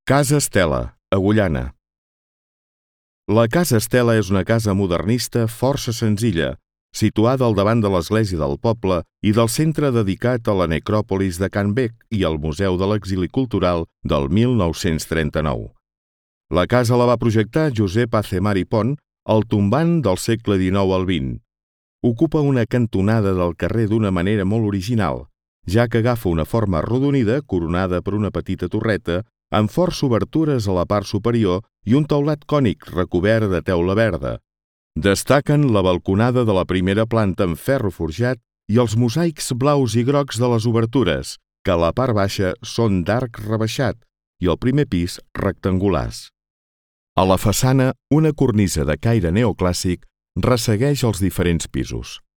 Casa Estela, Agullana. La Casa Estela és una casa modernista força senzilla, situada al davant de l'església del poble i del centre dedicat a la necròpolis de Can Bec i al Museu de l'Exili Cultural del 1939. La casa la va projectar Josep Azemar i Pont al tombant del segle XIX al XX. Ocupa una cantonada del carrer d'una manera molt original, ja que agafa una forma arrodonida coronada per una petita torreta amb força obertures a la part superior i un teulat cònic recobert de teula verda. Destaquen la balconada de la primera planta amb ferro forjat i els mosaics blaus i grocs de les obertures, que a la part baixa són d'arc rebaixat i al primer pis rectangulars. A la façana, una cornisa de caire neoclàssic ressegueix els diferents pisos.